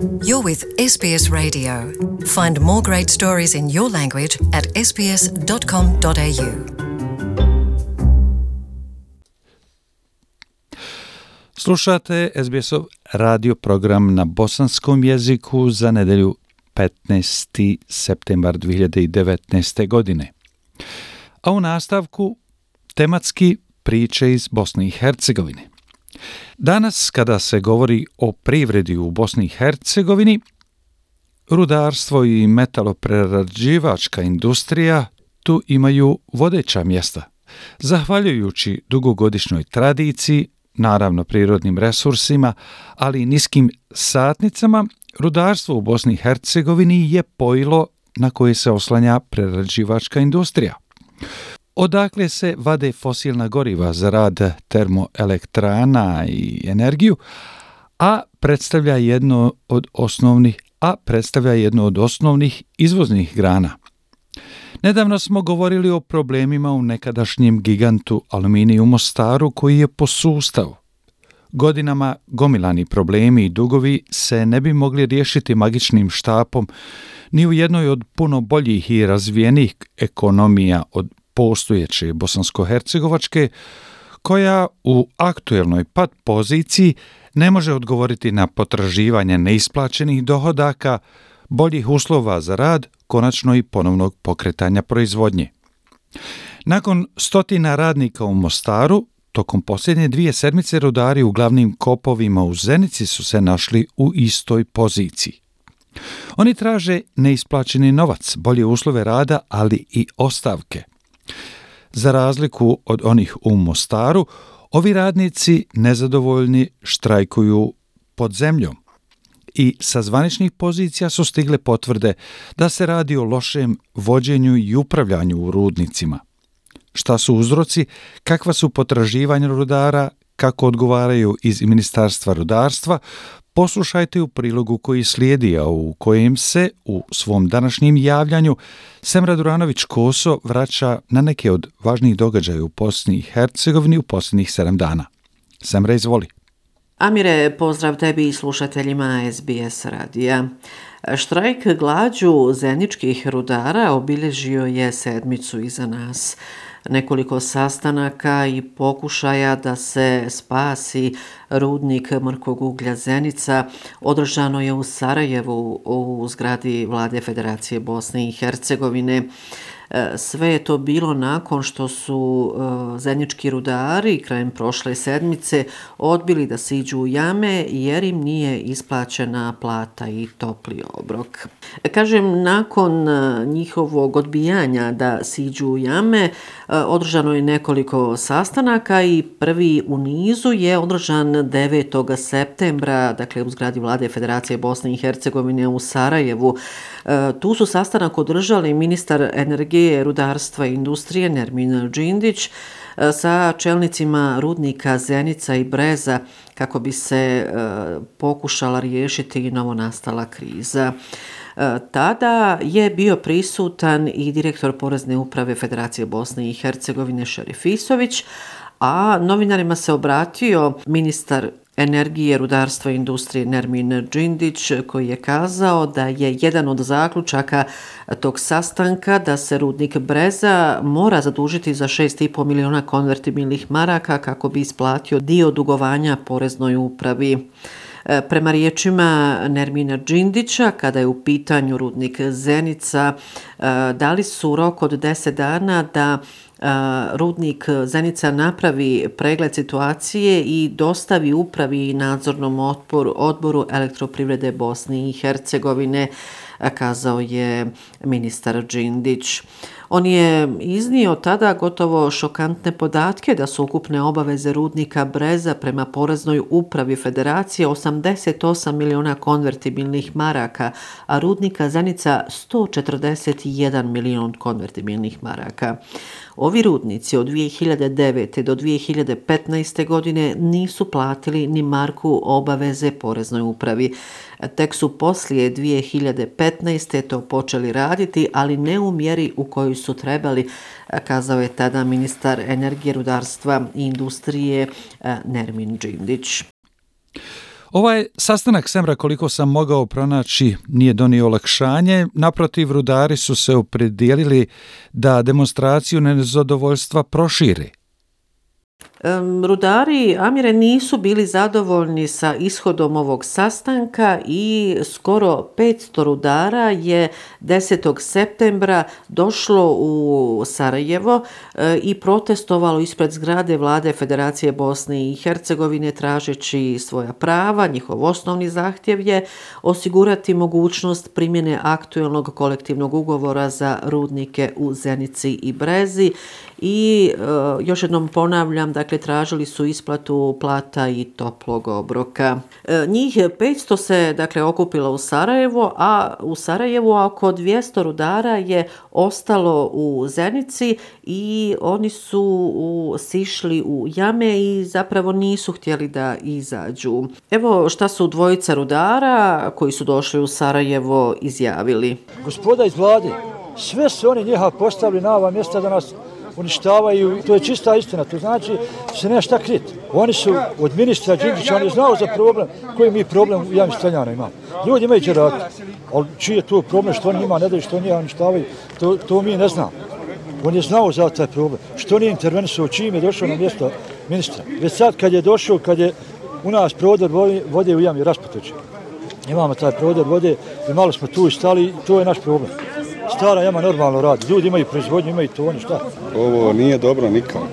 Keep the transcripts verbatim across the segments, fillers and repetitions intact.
You're with S B S Radio. Find more great stories in your language at s b s dot com dot a u. Slušate S B S-ov radio program na bosanskom jeziku za nedjelju petnaesti septembar dvije hiljade devetnaeste. godine. A u nastavku tematski priče iz Bosne i Hercegovine. Danas, kada se govori o privredi u Bosni i Hercegovini, rudarstvo i metaloprerađivačka industrija tu imaju vodeća mjesta. Zahvaljujući dugogodišnjoj tradiciji, naravno prirodnim resursima, ali i niskim satnicama, rudarstvo u Bosni i Hercegovini je pojilo na koje se oslanja prerađivačka industrija. Odakle se vade fosilna goriva za rad termoelektrana i energiju, a predstavlja jedno od osnovnih, a predstavlja jedno od osnovnih izvoznih grana. Nedavno smo govorili o problemima u nekadašnjem gigantu Aluminiju u Mostaru koji je posustao. Godinama gomilani problemi i dugovi se ne bi mogli riješiti magičnim štapom ni u jednoj od puno boljih i razvijenih ekonomija od postojeće bosansko-hercegovačke, koja u aktuelnoj pad poziciji ne može odgovoriti na potraživanje neisplaćenih dohodaka, boljih uslova za rad, konačno i ponovnog pokretanja proizvodnje. Nakon stotina radnika u Mostaru, tokom posljednje dvije sedmice rudari u glavnim kopovima u Zenici su se našli u istoj poziciji. Oni traže neisplaćeni novac, bolje uslove rada, ali i ostavke. Za razliku od onih u Mostaru, ovi radnici nezadovoljni štrajkuju pod zemljom i sa zvaničnih pozicija su stigle potvrde da se radi o lošem vođenju i upravljanju u rudnicima. Šta su uzroci, kakva su potraživanja rudara, kako odgovaraju iz Ministarstva rudarstva, poslušajte u prilogu koji slijedi, a u kojem se u svom današnjem javljanju Semra Duranović-Koso vraća na neke od važnijih događaja u Bosni i Hercegovini u posljednjih sedam dana. Semra, izvoli. Amire, pozdrav tebi i slušateljima S B S radija. Štrajk glađu zeničkih rudara obilježio je sedmicu iza nas. Nekoliko sastanaka i pokušaja da se spasi rudnik mrkog uglja Zenica održano je u Sarajevu u zgradi Vlade Federacije Bosne i Hercegovine. Sve je to bilo nakon što su zenički rudari krajem prošle sedmice odbili da siđu u jame jer im nije isplaćena plata i topli obrok. Kažem, nakon njihovog odbijanja da siđu u jame, održano je nekoliko sastanaka i prvi u nizu je održan devetog septembra, dakle u zgradi Vlade Federacije Bosne i Hercegovine u Sarajevu. Tu su sastanak održali ministar energije, rudarstva i industrije Nermin Džindić sa čelnicima rudnika Zenica i Breza kako bi se pokušala riješiti novonastala kriza. Tada je bio prisutan i direktor Porezne uprave Federacije Bosne i Hercegovine Šerif Isović, a novinarima se obratio ministar energije, rudarstva i industrije Nermin Džindić, koji je kazao da je jedan od zaključaka tog sastanka da se rudnik Breza mora zadužiti za šest i po miliona konvertibilnih maraka kako bi isplatio dio dugovanja Poreznoj upravi. Prema riječima Nermina Džindića, kada je u pitanju rudnik Zenica, dali su rok od deset dana da rudnik Zenica napravi pregled situacije i dostavi upravi i nadzornom odboru, odboru Elektroprivrede Bosne i Hercegovine, kazao je ministar Džindić. On je iznio tada gotovo šokantne podatke da su ukupne obaveze rudnika Breza prema Poreznoj upravi Federacije osamdeset osam miliona konvertibilnih maraka, a rudnika Zenica sto četrdeset jedan milion konvertibilnih maraka. Ovi rudnici od dvije hiljade devete do dvije hiljade petnaeste. godine nisu platili ni marku obaveze Poreznoj upravi. Tek su poslije dvije hiljade petnaeste. to počeli raditi, ali ne u mjeri u kojoj su trebali, kazao je tada ministar energije, rudarstva i industrije Nermin Džindić. Ovaj sastanak Semra, koliko sam mogao pronaći, nije donio olakšanje. Naprotiv, rudari su se opredijelili da demonstraciju nezadovoljstva proširi. Rudari, Amire, nisu bili zadovoljni sa ishodom ovog sastanka i skoro petsto rudara je desetog septembra došlo u Sarajevo i protestovalo ispred zgrade Vlade Federacije Bosne i Hercegovine tražeći svoja prava. Njihov osnovni zahtjev je osigurati mogućnost primjene aktualnog kolektivnog ugovora za rudnike u Zenici i Brezi i uh, još jednom ponavljam, dakle tražili su isplatu plata i toplog obroka. E, njih petsto se dakle okupilo u Sarajevo, a u Sarajevu oko dvjesto rudara je ostalo u Zenici i oni su u, sišli u jame i zapravo nisu htjeli da izađu. Evo šta su dvojica rudara koji su došli u Sarajevo izjavili. Gospoda iz vlade, sve su oni njiha postavili na ova mjesta da nas uništavaju, to je čista istina, to znači se nema šta kriti. Oni su od ministra Đinđića, on je znao za problem, koji mi problem u javnim Streljana imamo. Ljudi imaju džerati, ali čiji je to problem, što oni ima, ne daju, što oni uništavaju, to, to mi ne znamo. On je znao za taj problem, što nije intervenisao, čim je došao na mjesto ministra. Već sad kad je došao, kad je u nas prodor vode u jami Rasputovića, imamo taj prodor vode i malo smo tu stali, to je naš problem. Stara jama normalno radi, ljudi imaju proizvodnju, imaju to, oni šta? Ovo nije dobro nikako.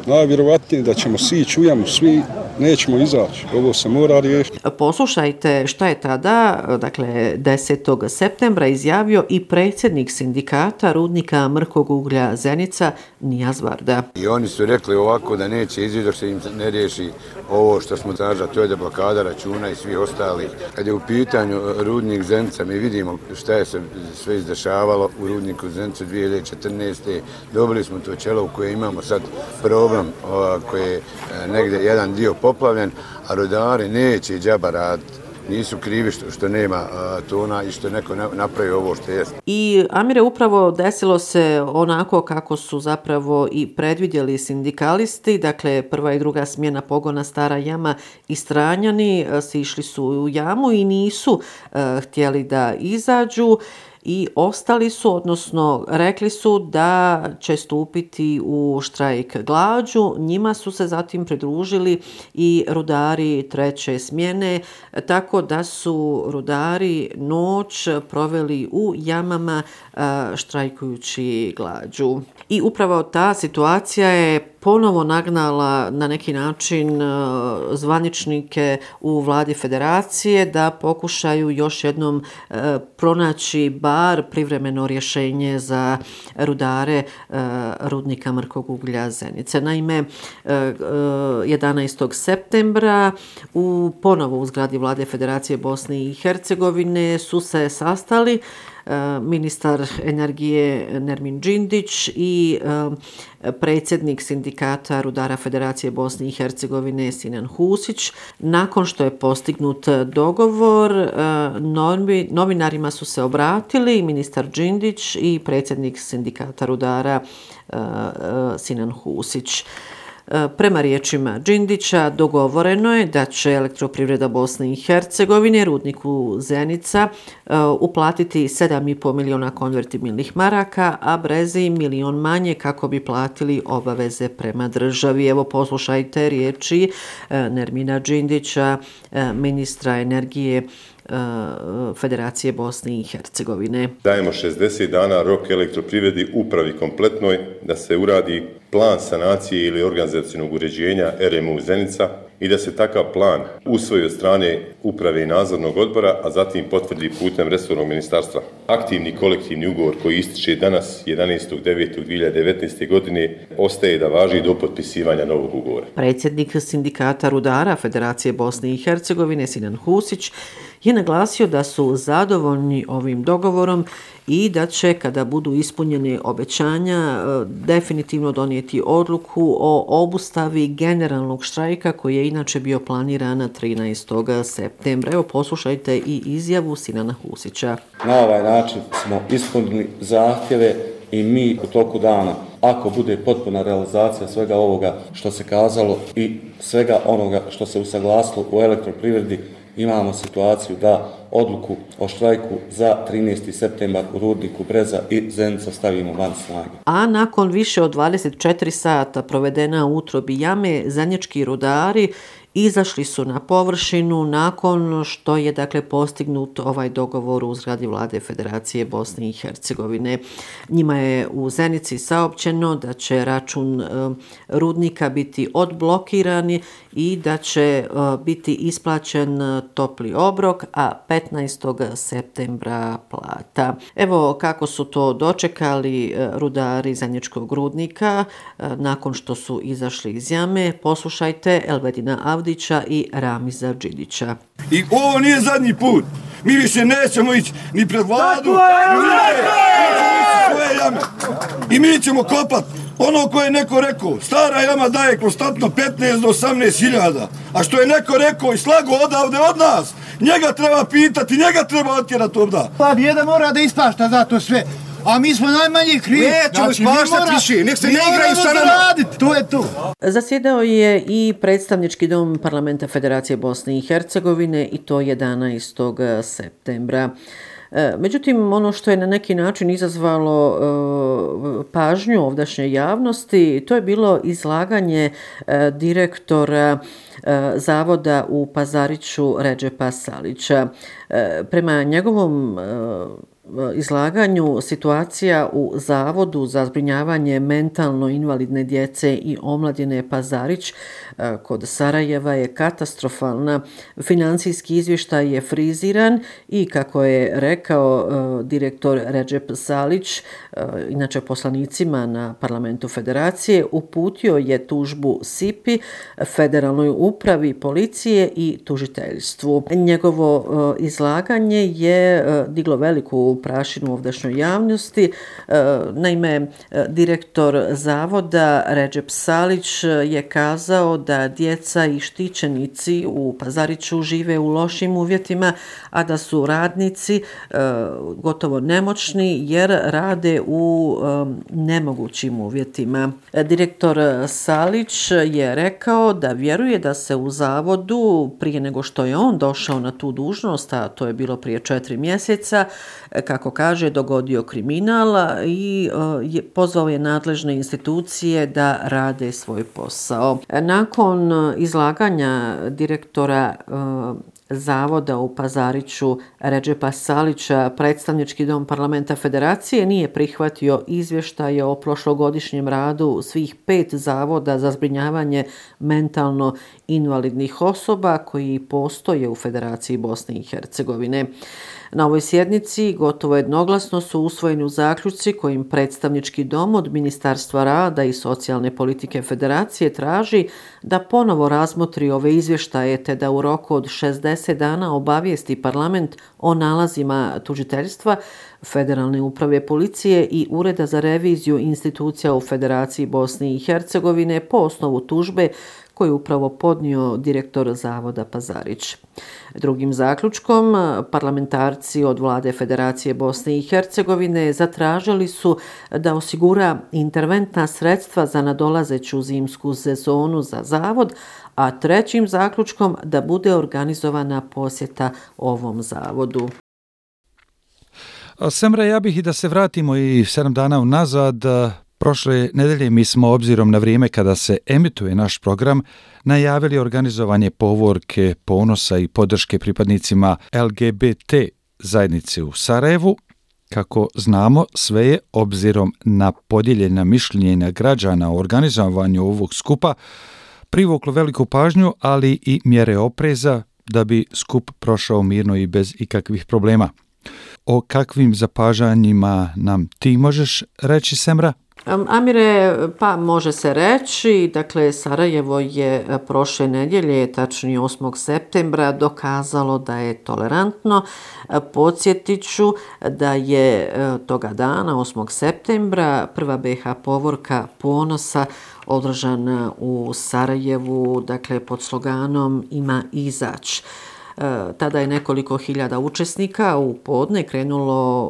Najvjerovatnije da ćemo sići u jamu, svi nećemo izaći. Ovo se mora riješiti. Poslušajte šta je tada, dakle desetog septembra izjavio i predsjednik sindikata rudnika mrkog uglja Zenica, Nijaz Varda. I oni su rekli ovako da neće izaći dok se im ne riješi ovo što smo tražili, to je da blokada računa i svi ostali. Kad je u pitanju rudnik Zenica, mi vidimo šta je se sve izdešavalo u rudniku Zenicu dvije hiljade četrnaeste. Dobili smo to čelo u koje imamo sad problem koji je negdje jedan dio poplavljen, a rudari neće džaba raditi. Nisu krivi što, što nema a, tona i što neko napravi ovo što jest. I Amire, upravo desilo se onako kako su zapravo i predvidjeli sindikalisti, dakle prva i druga smjena pogona Stara jama i Stranjani sišli su u jamu i nisu a, htjeli da izađu. I ostali su, odnosno rekli su da će stupiti u štrajk glađu. Njima su se zatim pridružili i rudari treće smjene, tako da su rudari noć proveli u jamama štrajkujući glađu. I upravo ta situacija je ponovo nagnala na neki način zvaničnike u vladi federacije da pokušaju još jednom pronaći bar privremeno rješenje za rudare rudnika mrkog uglja Zenice. Naime, jedanaestog septembra u ponovo u zgradi vlade Federacije Bosne i Hercegovine su se sastali ministar energije Nermin Đindić i predsjednik sindikata rudara Federacije Bosne i Hercegovine Sinan Husić. Nakon što je postignut dogovor, novinarima su se obratili ministar Đindić i predsjednik sindikata rudara Sinan Husić. Prema riječima Đindića, dogovoreno je da će Elektroprivreda Bosne i Hercegovine rudniku Zenica uplatiti sedam i pol miliona konvertibilnih maraka, a Brezi milion manje kako bi platili obaveze prema državi. Evo poslušajte riječi Nermina Đindića, ministra energije Federacije Bosne i Hercegovine. Dajemo šezdeset dana rok Elektroprivredi upravi kompletnoj da se uradi plan sanacije ili organizacionog uređenja R M U Zenica i da se takav plan usvoji od strane uprave i nadzornog odbora, a zatim potvrdi putem resornog ministarstva. Aktivni kolektivni ugovor koji ističe danas jedanaestog devetog dvije hiljade devetnaeste. godine ostaje da važi do potpisivanja novog ugovora. Predsjednik sindikata rudara Federacije Bosne i Hercegovine Sinan Husić je naglasio da su zadovoljni ovim dogovorom i da će, kada budu ispunjene obećanja, definitivno donijeti odluku o obustavi generalnog štrajka koji je inače bio planiran trinaestog septembra. Evo poslušajte i izjavu Sinana Husića. Na ovaj način smo ispunili zahtjeve i mi u toku dana ako bude potpuna realizacija svega ovoga što se kazalo i svega onoga što se usaglasilo u elektroprivredi, imamo situaciju da odluku o štrajku za trinaesti septembar u rudniku Breza i Zenica stavimo van snage. A nakon više od dvadeset četiri sata provedena u utrobi jame, zenički rudari izašli su na površinu nakon što je dakle postignut ovaj dogovor u zgradi vlade Federacije Bosne i Hercegovine. Njima je u Zenici saopćeno da će račun e, rudnika biti odblokirani i da će e, biti isplaćen topli obrok, a petnaestog septembra plata. Evo kako su to dočekali e, rudari Zeničkog rudnika e, nakon što su izašli iz jame. Poslušajte Elvedina Avdića i Ramiza Đidića. I ovo nije zadnji put. Mi više nećemo ići ni pred vladu, i mi ćemo kopat ono koje je neko rekao. Stara jama daje konstantno petnaest do osamnaest hiljada. A što je neko rekao i slago odavde od nas, njega treba pitati, njega treba otjerati ovda. Jedan mora da ispašta za to sve. A mi smo najmanji krivi. Nećemo znači, ispaštati više, nek se ne igraju sa nama. To je to. Zasjedao je i predstavnički dom parlamenta Federacije Bosne i Hercegovine i to jedanaestog septembra. Međutim, ono što je na neki način izazvalo uh, pažnju ovdašnje javnosti, to je bilo izlaganje uh, direktora uh, zavoda u Pazariću Redžepa Salića. Uh, prema njegovom uh, izlaganju situacija u Zavodu za zbrinjavanje mentalno invalidne djece i omladine Pazarić kod Sarajeva je katastrofalna. Financijski izvještaj je friziran i kako je rekao direktor Redžep Salić, inače poslanicima na parlamentu Federacije, uputio je tužbu S I P I, Federalnoj upravi policije i tužiteljstvu. Njegovo izlaganje je diglo veliku prašinu ovdašnjoj javnosti. Naime, direktor zavoda Redžep Salić je kazao da djeca i štićenici u Pazariću žive u lošim uvjetima, a da su radnici gotovo nemoćni jer rade u nemogućim uvjetima. Direktor Salić je rekao da vjeruje da se u zavodu prije nego što je on došao na tu dužnost, a to je bilo prije četiri mjeseca, kako kaže, dogodio kriminal i je, pozvao je nadležne institucije da rade svoj posao. Nakon izlaganja direktora Zavoda u Pazariću Redžepa Salića, predstavnički dom parlamenta Federacije nije prihvatio izvještaje o prošlogodišnjem radu svih pet zavoda za zbrinjavanje mentalno invalidnih osoba koji postoje u Federaciji Bosne i Hercegovine. Na ovoj sjednici gotovo jednoglasno su usvojeni zaključci kojim predstavnički dom od Ministarstva rada i socijalne politike Federacije traži da ponovo razmotri ove izvještaje te da u roku od šezdeset dana obavijesti parlament o nalazima tužiteljstva, Federalne uprave policije i Ureda za reviziju institucija u Federaciji Bosne i Hercegovine po osnovu tužbe koju je upravo podnio direktor Zavoda Pazarić. Drugim zaključkom, parlamentarci od vlade Federacije Bosne i Hercegovine zatražili su da osigura interventna sredstva za nadolazeću zimsku sezonu za zavod, a trećim zaključkom da bude organizovana posjeta ovom zavodu. Semra, ja bih i da se vratimo i sedam dana unazad. Prošle nedelje mi smo, obzirom na vrijeme kada se emituje naš program, najavili organizovanje povorke ponosa i podrške pripadnicima L G B T zajednice u Sarajevu. Kako znamo, sve je, obzirom na podijeljena mišljenja građana o organizovanju ovog skupa, privuklo veliku pažnju, ali i mjere opreza da bi skup prošao mirno i bez ikakvih problema. O kakvim zapažanjima nam ti možeš reći, Semra? Amire, pa može se reći, dakle Sarajevo je prošle nedjelje, tačnije osmog septembra, dokazalo da je tolerantno. Podsjetit ću da je toga dana, osmog septembra, prva B iH povorka ponosa održana u Sarajevu, dakle pod sloganom Ima izać. Tada je nekoliko hiljada učesnika u podne krenulo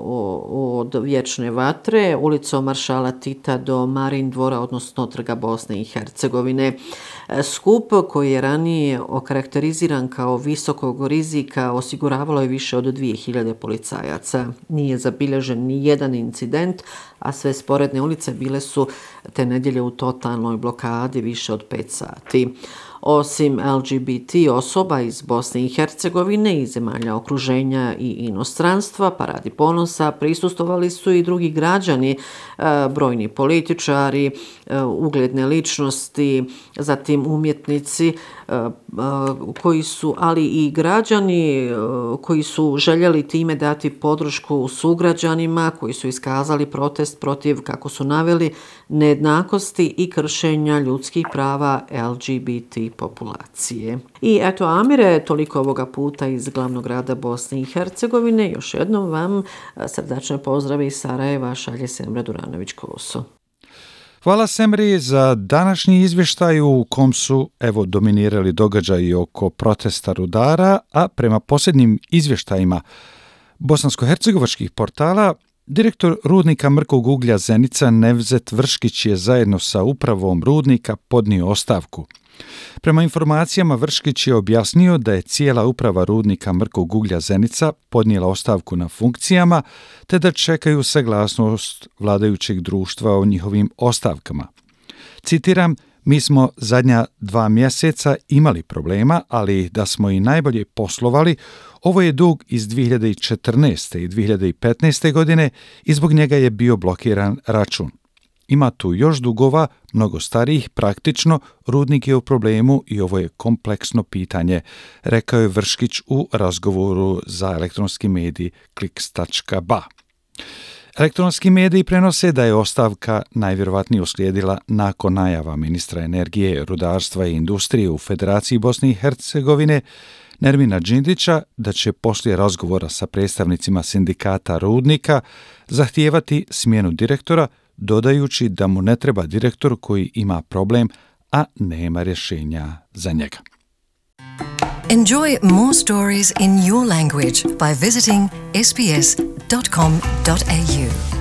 od Vječne vatre, ulicom Maršala Tita do Marin dvora, odnosno Trga Bosne i Hercegovine. Skup koji je ranije okarakteriziran kao visokog rizika osiguravalo je više od dvije hiljade policajaca. Nije zabilježen ni jedan incident, a sve sporedne ulice bile su te nedjelje u totalnoj blokadi više od pet sati. Osim L G B T osoba iz Bosne i Hercegovine i zemalja okruženja i inostranstva, paradi ponosa prisustvovali su i drugi građani, brojni političari, ugledne ličnosti, zatim umjetnici koji su, ali i građani koji su željeli time dati podršku sugrađanima, koji su iskazali protest protiv, kako su naveli, nejednakosti i kršenja ljudskih prava L G B T populacije. I eto, Amire, toliko ovoga puta iz glavnog grada Bosne i Hercegovine. Još jednom vam srdačne pozdrave iz Sarajeva šalje Semra Duranović-Koso. Hvala Semri za današnji izvještaj u kom su evo dominirali događaji oko protesta rudara, a prema posljednjim izvještajima bosansko-hercegovačkih portala, direktor rudnika mrkog uglja Zenica Nevzet Vrškić je zajedno sa upravom rudnika podnio ostavku. Prema informacijama, Vrškić je objasnio da je cijela uprava rudnika mrkog uglja Zenica podnijela ostavku na funkcijama, te da čekaju saglasnost vladajućeg društva o njihovim ostavkama. Citiram, mi smo zadnja dva mjeseca imali problema, ali da smo i najbolje poslovali, ovo je dug iz dvije hiljade četrnaeste i dvije hiljade petnaeste. godine i zbog njega je bio blokiran račun. Ima tu još dugova, mnogo starijih, praktično, rudnik je u problemu i ovo je kompleksno pitanje, rekao je Vrškić u razgovoru za elektronski medij kliks tačka ba. Elektronski mediji prenose da je ostavka najvjerovatnije uslijedila nakon najava ministra energije, rudarstva i industrije u Federaciji Bosne i Hercegovine Nermina Džindića da će poslije razgovora sa predstavnicima sindikata rudnika zahtijevati smjenu direktora, dodajući da mu ne treba direktor koji ima problem, a nema rješenja za njega. Enjoy more stories in your language by visiting s b s dot com dot a u.